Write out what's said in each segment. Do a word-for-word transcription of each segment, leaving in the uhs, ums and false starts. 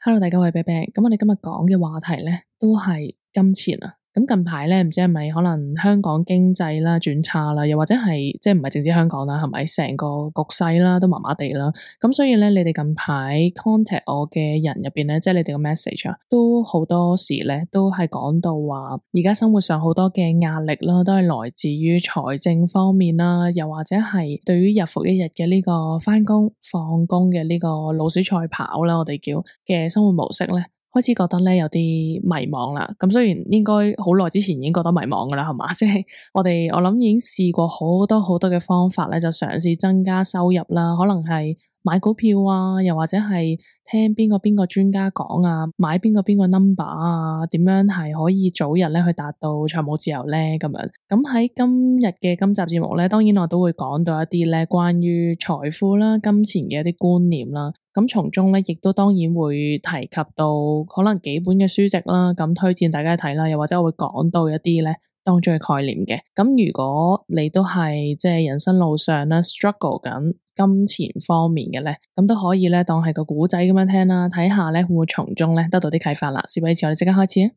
Hello，大家好，我係 Bebe。咁我哋今日講嘅話題咧，都係金錢啊。咁近排咧，唔知係咪可能香港經濟啦轉差啦，又或者係即係唔係淨止香港啦，係咪成個局勢啦都麻麻地啦。咁所以咧，你哋近排 contact 我嘅人入邊咧，即係你哋嘅 message 啊，都好多時咧都係講到話，而家生活上好多嘅壓力啦，都係來自於財政方面啦，又或者係對於日復一日嘅呢個返工放工嘅呢個老鼠賽跑啦，我哋叫嘅生活模式咧。開始覺得咧有啲迷茫啦，咁雖然應該好耐之前已經覺得迷茫噶啦，係嘛？即係我哋我諗已經試過好多好多嘅方法咧，就嘗試增加收入啦，可能係買股票啊，又或者係聽邊個邊個專家講啊，買邊個邊個 number 啊，點樣係可以早日咧去達到財務自由咧咁樣。咁喺今日嘅今集節目咧，當然我都會講到一啲咧關於財富啦、金錢嘅一啲觀念啦。咁從中咧，亦都當然會提及到可能幾本嘅書籍啦，咁推薦大家睇啦，又或者我會講到一啲咧當中嘅概念嘅。咁如果你都係即係人生路上咧 struggle 緊金錢方面嘅咧，咁都可以咧當係個古仔咁樣聽啦，睇下咧會唔會從中咧得到啲啟發啦。事不宜遲，我哋即刻開始啊！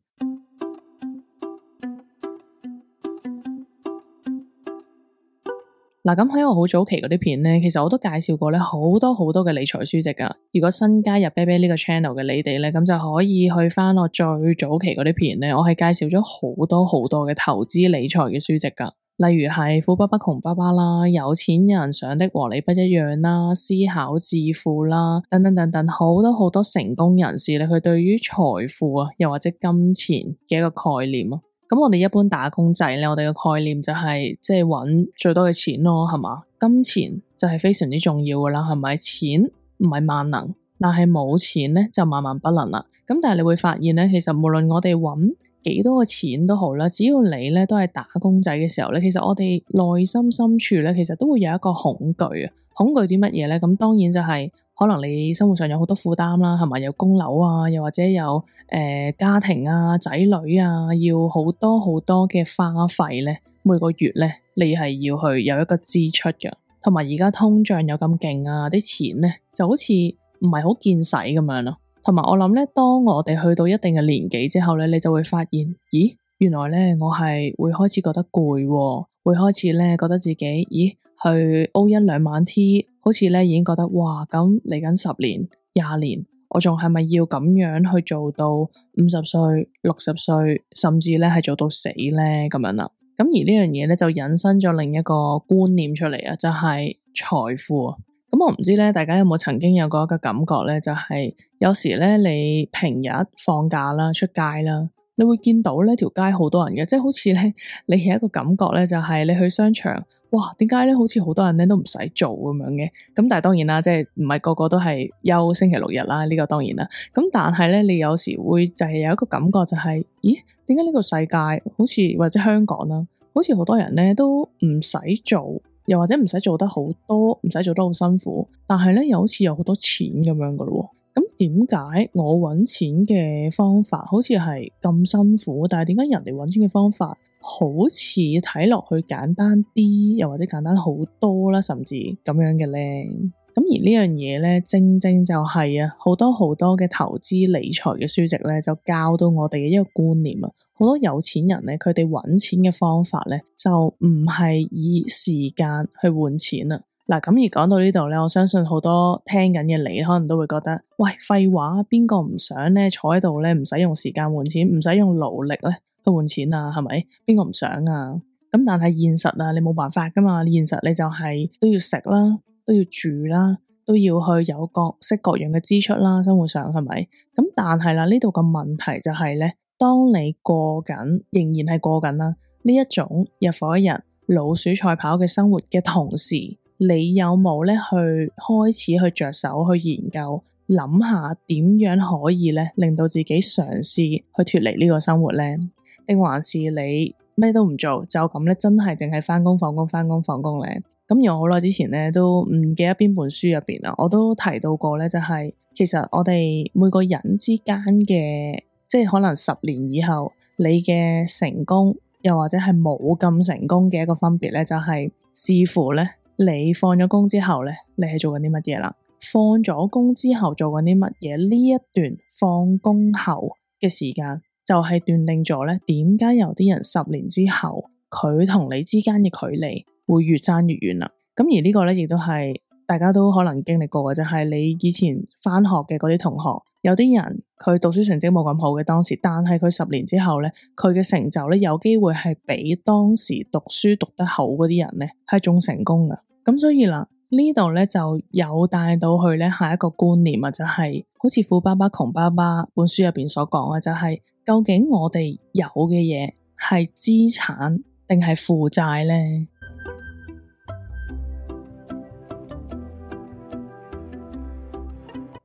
嗱，咁喺我好早期嗰啲片咧，其實我都介紹過咧好多好多嘅理財書籍噶。如果新加入 Bebe 呢個 channel 嘅你哋咧，咁就可以去翻我最早期嗰啲片咧，我係介紹咗好多好多嘅投資理財嘅書籍噶。例如係富爸爸窮爸爸啦，有錢人想的和你不一樣啦，思考致富啦，等等等等，好多好多成功人士咧，佢對於財富啊，又或者金錢嘅一個概念啊。咁我哋一般打工仔咧，我哋嘅概念就係即係揾最多嘅錢咯，係嘛？金錢就係非常之重要噶啦，係咪？錢唔係萬能，但係冇錢咧就萬萬不能啦。咁但係你會發現咧，其實無論我哋揾幾多嘅錢都好啦，只要你咧都係打工仔嘅時候咧，其實我哋內心深處咧，其實都會有一個恐懼啊。恐懼啲乜嘢咧？咁當然就係、是。可能你生活上有好多負擔啦，係咪有供樓啊，又或者有誒、呃、家庭啊、仔女啊，要好多好多嘅花費咧，每個月咧你係要去有一個支出嘅，同埋而家通脹又咁勁啊，啲錢咧就好似唔係好見使咁樣咯。同埋我諗咧，當我哋去到一定嘅年紀之後咧，你就會發現，咦，原來咧我係會開始覺得攰喎，會開始咧覺得自己，咦，去 O 一兩晚 T。好似咧已經覺得哇，咁嚟緊十年、廿年，我仲係咪要咁樣去做到五十歲、六十歲，甚至咧係做到死咧咁樣啦？咁而呢樣嘢咧就引申咗另一個觀念出嚟啊，就係財富啊。咁我唔知咧，大家有冇曾經有過一個感覺咧，就係有時咧你平日放假啦、出街啦，你會見到呢條街好多人嘅，即係好似咧你有一個感覺咧，就係你去商場。哇，點解咧？好似好多人咧都唔使做咁樣嘅，咁但係當然啦，即係唔係個個都係休星期六日啦，呢個當然啦。咁但係咧，你有時會就係有一個感覺就係，咦？點解呢個世界好似或者香港啦，好似好多人咧都唔使做，又或者唔使做得好多，唔使做得好辛苦，但係咧又好似有好多錢咁樣噶咯。咁點解我搵錢嘅方法好似係咁辛苦，但係點解人哋搵錢嘅方法好似睇落去簡單啲，又或者簡單好多啦，甚至咁樣嘅咧？咁而呢樣嘢咧，正正就係啊，好多好多嘅投資理財嘅書籍咧，就教到我哋嘅一個觀念啊。好多有錢人咧，佢哋搵錢嘅方法咧，就唔係以時間去換錢啊。嗱，咁而講到呢度咧，我相信好多聽緊嘅你可能都會覺得，喂，廢話，邊個唔想咧坐喺度咧，唔使用時間換錢，唔使用勞力咧去換錢啊？係咪？邊個唔想啊？咁但係現實啊，你冇辦法噶嘛。現實你就係都要食啦，都要住啦，都要去有各式各樣嘅支出啦，生活上係咪？咁但係啦，呢度個問題就係咧，當你過緊，仍然係過緊啦呢一種日復一日老鼠賽跑嘅生活嘅同時，你有冇咧去開始去着手去研究，諗下點樣可以咧令到自己嘗試去脫離呢個生活咧？定還是你咩都唔做，就咁咧真係淨係返工放工返工放工咧？咁而我好耐之前咧都唔記得邊本書入邊啦，我都提到過咧，就係、是、其實我哋每個人之間嘅，即係可能十年以後你嘅成功，又或者係冇咁成功嘅一個分別咧，就係、是、視乎咧。你放咗工之後咧，你係做緊啲乜嘢啦？放咗工之後做緊啲乜嘢，呢一段放工後嘅時間就係斷定咗咧點解有啲人十年之後佢同你之間嘅距離會越爭越遠啦。咁而呢個咧亦都係大家都可能經歷過嘅，就係你以前返學嘅嗰啲同學，有啲人佢讀書成績冇咁好嘅當時，但係佢十年之後咧，佢嘅成就咧有機會係比當時讀書讀得好嗰啲人咧係仲成功㗎。咁所以啦，呢度咧就有帶到去咧下一個觀念啊，就係好似富爸爸窮爸爸本書入邊所講嘅，就係究竟我哋有嘅嘢係資產定係負債咧？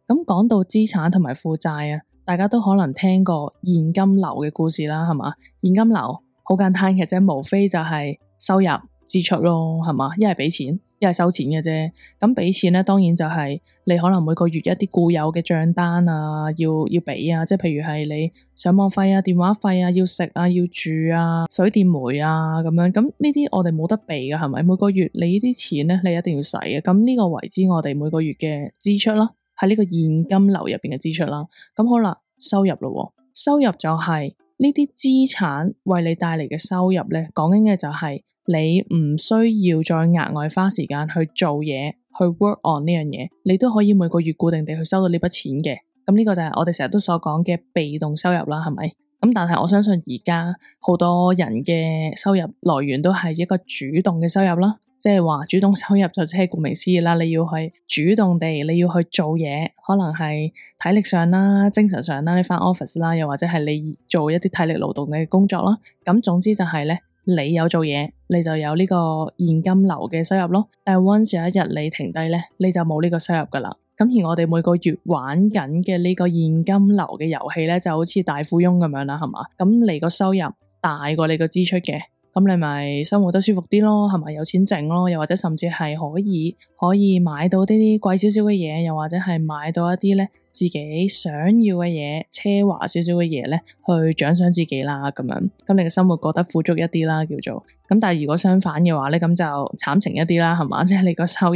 咁講到資產同埋負債啊，大家都可能聽過現金流嘅故事啦，係嘛？現金流好簡單嘅啫，無非就係收入支出咯，係嘛？一係俾錢，一係收錢嘅啫。咁俾錢咧，當然就係你可能每個月一啲固有嘅賬單啊，要要俾啊，即係譬如係你上網費啊、電話費啊、要食啊、要住啊、水電煤啊咁樣。咁呢啲我哋冇得避㗎，係咪？每個月你呢啲錢咧，你一定要使嘅。咁呢個為之我哋每個月嘅支出啦。喺呢個現金流入邊嘅支出啦，咁好啦，收入咯，收入就係呢啲資產為你帶嚟嘅收入咧，講緊嘅就係你唔需要再額外花時間去做嘢，去 work on 呢樣嘢，你都可以每個月固定地去收到呢筆錢嘅。咁呢個就係我哋成日都所講嘅被動收入啦，係咪？咁但係我相信而家好多人嘅收入來源都係一個主動嘅收入啦。即係話主動收入就即係顧名思義啦，你要去主動地你要去做嘢，可能係體力上啦、精神上啦，你返 office 啦，又或者係你做一啲體力勞動嘅工作啦。咁總之就係咧，你有做嘢，你就有呢個現金流嘅收入咯。但係 once 有一日你停低咧，你就冇呢個收入噶啦。咁而我哋每個月玩緊嘅呢個現金流嘅遊戲咧，就好似大富翁咁樣啦，係嘛？咁你個收入大過你個支出嘅。咁你咪生活得舒服啲咯，係咪有錢剩咯？又或者甚至係可以可以買到啲啲貴少少嘅嘢，又或者係買到一啲咧自己想要嘅嘢，奢華少少嘅嘢咧，去獎賞自己啦咁樣。咁你嘅生活過得富足一啲啦，叫做。咁但係如果相反嘅話咧，咁就慘情一啲啦，係嘛？即係你個收入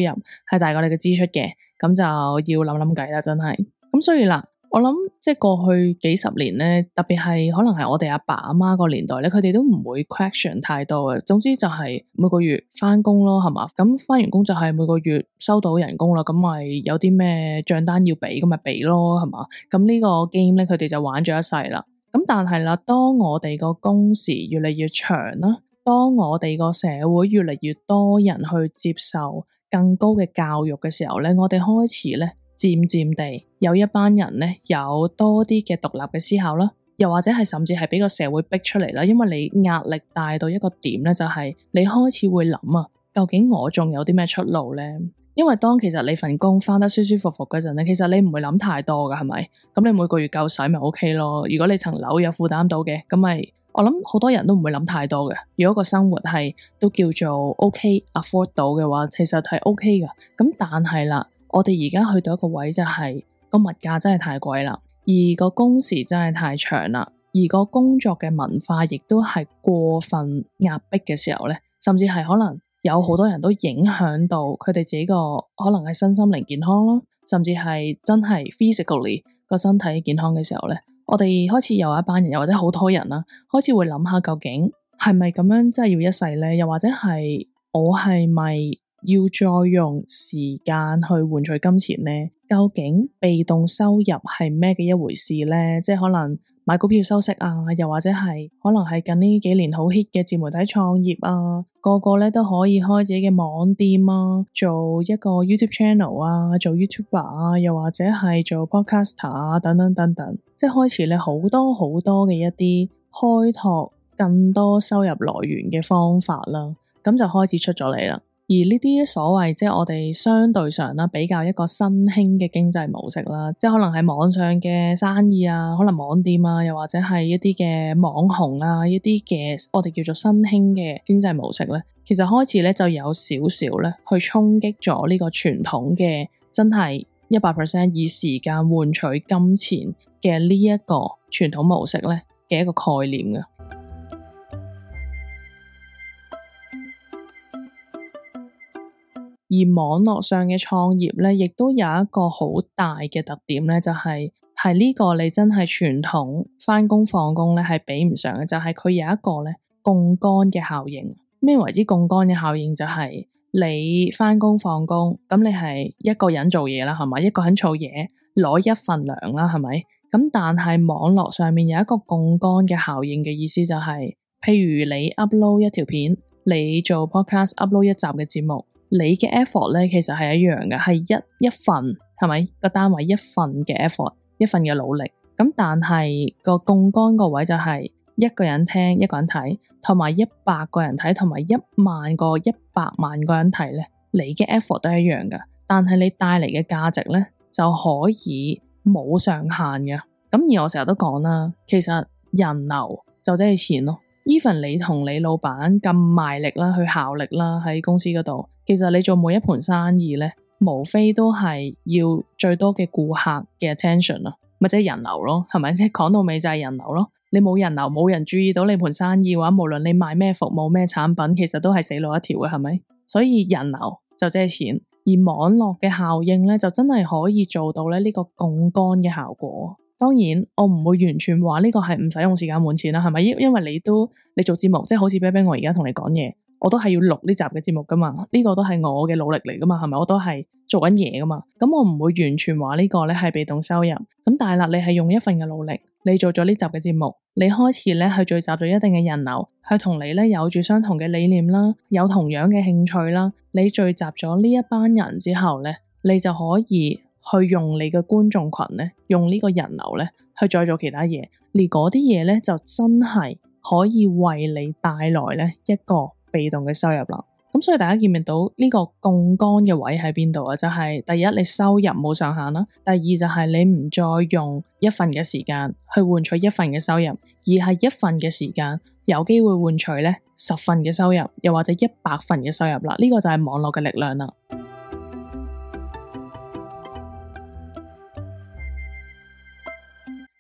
係大過你嘅支出嘅，咁就要諗諗計啦，真係。咁所以啦。我諗即係過去幾十年咧，特別係可能係我哋阿爸阿媽個年代咧，佢哋都唔會 question 太多嘅。總之就係每個月返工咯，係嘛？咁返完工就係每個月收到人工啦，咁咪有啲咩賬單要俾，咁咪俾咯，係嘛？咁呢個 game 咧，佢哋就玩咗一世啦。咁但係啦，當我哋個工時越嚟越長啦，當我哋個社會越嚟越多人去接受更高嘅教育嘅時候咧，我哋開始咧。漸漸地有一班人咧有多啲嘅獨立嘅思考啦，又或者係甚至係俾個社會逼出嚟啦，因為你壓力大到一個點咧，就係你開始會諗啊，究竟我仲有啲咩出路咧？因為當其實你份工返得舒舒服服嗰陣咧，其實你唔會諗太多噶，係咪？咁你每個月夠使咪 OK 咯？如果你層樓有負擔到嘅，咁咪我諗好多人都唔會諗太多嘅。如果個生活係都叫做 OK afford 到嘅話，其實係 OK 噶。咁但係啦。我哋而家去到一個位就係個物價真係太貴啦，而個工時真係太長啦，而個工作嘅文化亦都係過分壓迫嘅時候咧，甚至係可能有好多人都影響到佢哋自己個可能係身心靈健康咯，甚至係真係 physically 個身體健康嘅時候咧，我哋開始有一班人又或者好多人啦，開始會諗下究竟係咪咁樣真係要一世咧？又或者係我係咪？要再用時間去換取金錢呢？究竟被動收入係咩嘅一回事呢？即係可能買股票收息啊，又或者係可能係近呢幾年好 hit 嘅自媒體創業啊，個個咧都可以開自己嘅網店啊，做一個 YouTube channel 啊，做 YouTuber 啊，又或者係做 podcaster 啊，等等等等，即係開始咧好多好多嘅一啲開拓更多收入來源嘅方法啦，咁就開始出咗嚟啦。而呢啲所謂即係我哋相對上啦，比較一個新興嘅經濟模式啦，即係可能係網上嘅生意啊，可能網店啊，又或者係一啲嘅網紅啊，一啲嘅我哋叫做新興嘅經濟模式咧，其實開始咧就有少少咧去衝擊咗呢個傳統嘅真係一百 percent 以時間換取金錢嘅呢一個傳統模式咧嘅一個概念嘅。而網絡上嘅創業咧，亦都有一個好大嘅特點咧，就係係呢個你真係傳統返工放工咧係比唔上嘅，就係、是、佢有一個咧槓桿嘅效應。咩為之槓桿嘅效應？就係你返工放工，咁你係一個人做嘢啦，係咪？一個人做嘢攞一份糧啦，係咪？咁但係網絡上面有一個槓桿嘅效應嘅意思就係、是，譬如你 upload 一條片，你做 podcast upload 一集嘅節目，你嘅 effort 咧其實係一樣嘅，係一一份，係咪？個單位一份嘅 effort， 一份嘅努力。咁但係個槓桿個位就係、是。一個人聽，一個人睇，同埋一百個人睇，同埋一萬個、一百萬個人睇咧，你嘅 effort 都係一樣噶，但係你帶嚟嘅價值咧就可以冇上限嘅。咁而我成日都講啦，其實人流就即係錢咯。even 你同你老闆咁賣力啦，去效力啦喺公司嗰度，其實你做每一盤生意咧，無非都係要最多嘅顧客嘅 attention 咯，咪即係人流咯，係咪？即係講到尾就係人流咯。你冇人流，冇人注意到你盤生意嘅話，無論你賣咩服務咩產品，其實都係死路一條嘅，係咪？所以人流就即係錢，而網絡嘅效應咧，就真係可以做到咧呢個槓桿嘅效果。當然，我唔會完全話呢個係唔使用時間換錢啦，係咪？因因為你都你做節目，即係好似啤啤我而家同你講嘢，我都係要錄呢集嘅節目噶嘛，呢個都係我嘅努力嚟噶嘛，係咪？我都係做緊嘢噶嘛，咁我唔會完全話呢個咧係被動收入。咁但係啦，你係用一份嘅努力，你做咗呢集嘅節目，你開始咧去聚集咗一定嘅人流，去同你咧有住相同嘅理念啦，有同樣嘅興趣啦，你聚集咗呢一班人之後咧，你就可以去用你嘅觀眾群咧，用呢個人流咧去再做其他嘢，而嗰啲嘢咧就真係可以為你帶來咧一個被動嘅收入啦。咁所以大家見唔見到呢個槓桿嘅位喺邊度啊？就係第一，你收入冇上限啦；第二就係你唔再用一份嘅時間去換取一份嘅收入，而係一份嘅時間有機會換取咧十份嘅收入，又或者一百份嘅收入啦。呢個就係網絡嘅力量啦。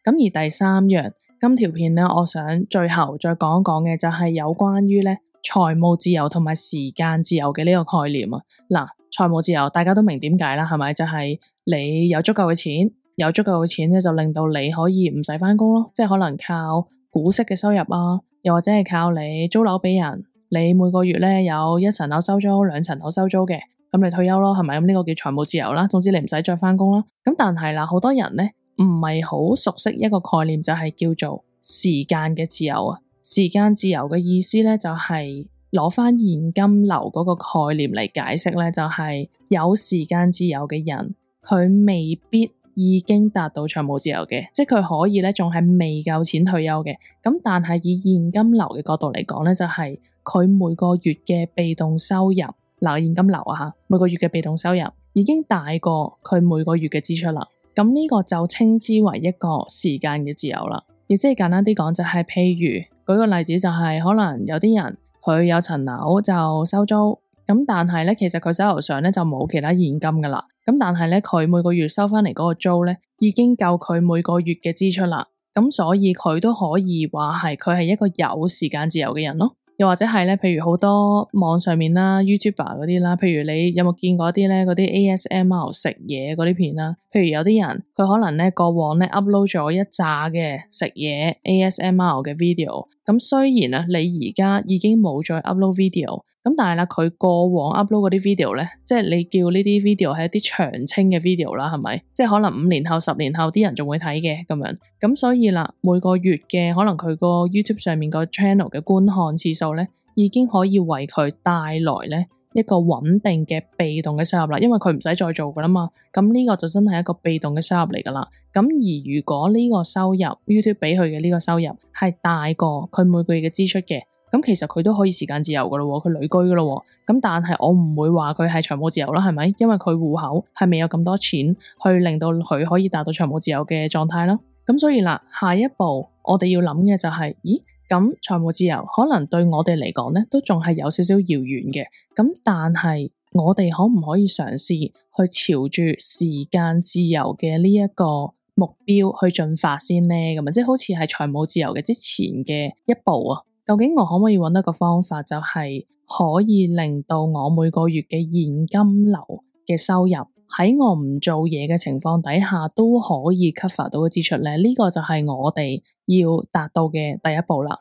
咁而第三樣，今條片咧，我想最後再講一講嘅就係有關於咧財務自由同埋時間自由嘅呢個概念啊。嗱，財務自由大家都明點解啦，係咪？就係你有足夠嘅錢，有足夠嘅錢咧，就令到你可以唔使返工咯，即係可能靠股息嘅收入啊，又或者係靠你租樓俾人，你每個月咧有一層樓收租，兩層樓收租嘅，咁你退休咯，係咪？咁呢個叫財務自由啦。總之你唔使再返工啦。咁但係啦，好多人咧唔係好熟悉一個概念，就係叫做時間嘅自由啊。時間自由嘅意思咧，就係攞翻現金流嗰個概念嚟解釋咧，就係有時間自由嘅人，佢未必已經達到財務自由嘅，即係佢可以咧仲係未夠錢退休嘅。咁但係以現金流嘅角度嚟講咧，就係佢每個月嘅被動收入，嗱，現金流啊吓，每個月嘅被動收入已經大過佢每個月嘅支出啦。咁呢個就稱之為一個時間嘅自由啦。亦即係簡單啲講，就係譬如舉個例子，就係可能有啲人佢有層樓就收租，咁但係咧其實佢手頭上咧就冇其他現金噶啦，咁但係咧佢每個月收翻嚟嗰個租咧已經夠佢每個月嘅支出啦，咁所以佢都可以話係佢係一個有時間自由嘅人咯。又或者係咧，譬如好多網上面啦 YouTuber 嗰啲啦，譬如你有冇見過啲咧嗰啲 A S M R 食嘢嗰啲片啦？譬如有啲人佢可能咧過往咧 upload 咗一紮嘅食嘢 A S M R 嘅 video， 咁雖然啊你而家已經冇再 upload video， 咁但係啦佢過往 upload 嗰啲 video 咧，即係你叫呢啲 video 係一啲長青嘅 video 啦，係咪？即係可能五年後、十年後啲人仲會睇嘅咁樣，咁所以啦每個月嘅可能佢個 YouTube 上面個 channel 嘅觀看次數咧，已經可以為佢帶來咧一個穩定嘅被動嘅收入啦，因為佢唔使再做噶啦嘛，咁呢個就真係一個被動嘅收入嚟噶啦。咁而如果呢個收入 YouTube 俾佢嘅呢個收入係大過佢每個月嘅支出嘅，咁其實佢都可以時間自由噶咯，佢旅居噶咯。咁但係我唔會話佢係財務自由啦，係咪？因為佢戶口係未有咁多錢去令到佢可以達到財務自由嘅狀態啦。咁所以啦，下一步我哋要諗嘅就係，咦？咁財務自由可能對我哋嚟講咧，都仲係有少少遙遠嘅。咁但係我哋可唔可以嘗試去朝住時間自由嘅呢一個目標去進發先呢？咁啊，即係好似係財務自由嘅之前嘅一步啊。究竟我可唔可以揾到一個方法，就係可以令到我每個月嘅現金流嘅收入喺我唔做嘢嘅情況底下都可以 cover 到嘅支出咧，呢個就係我哋要達到嘅第一步啦。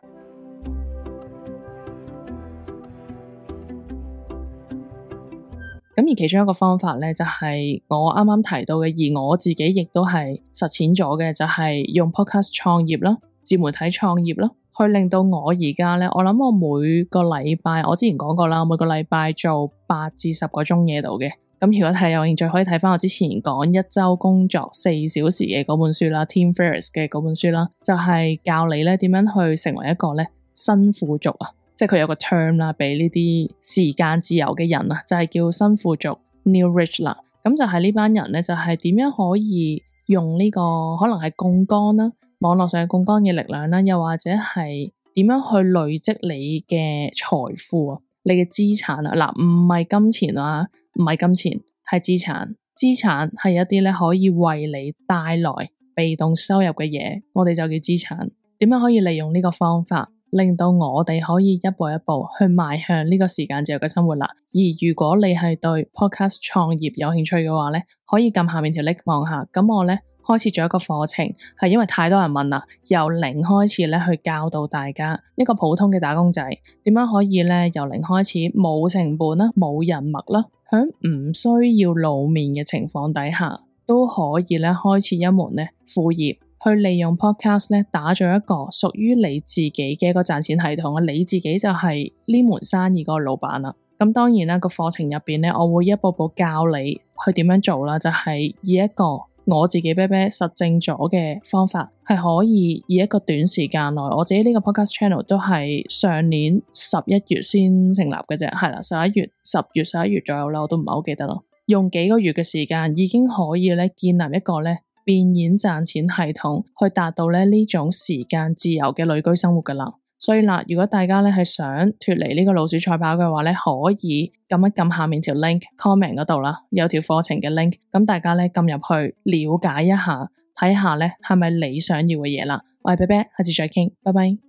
咁而其中一個方法咧，就係我啱啱提到嘅，而我自己亦都係實踐咗嘅，就係用 podcast 創業啦，自媒體創業啦，去令到我而家咧，我諗我每個禮拜，我之前講過啦，每個禮拜做八至十個鐘嘢度嘅。咁如果係有興趣，可以睇翻我之前講一周工作四小時嘅嗰本書啦 ，Tim Ferriss 嘅嗰本書啦，就係教你咧點樣去成為一個咧新富足啊。即係佢有個 term 啦，俾呢啲時間自由嘅人啊，就係叫新富足 New Rich 啦。咁就係呢班人咧，就係點樣可以用呢個可能係槓桿啦，網絡上嘅槓桿嘅力量啦，又或者係點樣去累積你嘅財富啊，你嘅資產啊，嗱唔係金錢啊，唔係金錢係資產，資產係一啲咧可以為你帶來被動收入嘅嘢，我哋就叫資產。點樣可以利用呢個方法？令到我哋可以一步一步去邁向呢個時間自由嘅生活啦。而如果你係對 podcast 創業有興趣嘅話咧，可以撳下面條 link 望下。咁我咧開設咗一個課程，係因為太多人問啦，由零開始咧去教導大家一個普通嘅打工仔點樣可以咧由零開始冇成本啦、冇人脈啦，響唔需要露面嘅情況底下都可以咧開設一門咧副業。去利用 podcast 咧，打造一個屬於你自己嘅一個賺錢系統啊！你自己就係呢門生意個老闆啦。咁當然啦，個課程入邊咧，我會一步步教你去點樣做啦。就係以一個我自己啤啤實證咗嘅方法，係可以以一個短時間內，我自己呢個 podcast channel 都係上年十一月先成立嘅啫，係啦，十一月、十月、十一月左右啦，我都唔係好記得咯。用幾個月嘅時間已經可以咧建立一個咧變現賺錢系統，去達到咧呢種時間自由嘅旅居生活噶啦。所以啦，如果大家咧係想脫離呢個老鼠賽跑嘅話咧，可以撳一撳下面條 link comment 嗰度啦，有條課程嘅 link，咁大家咧撳入去了解一下，睇下咧係咪你想要嘅嘢啦。我係啤啤，下次再傾，拜拜。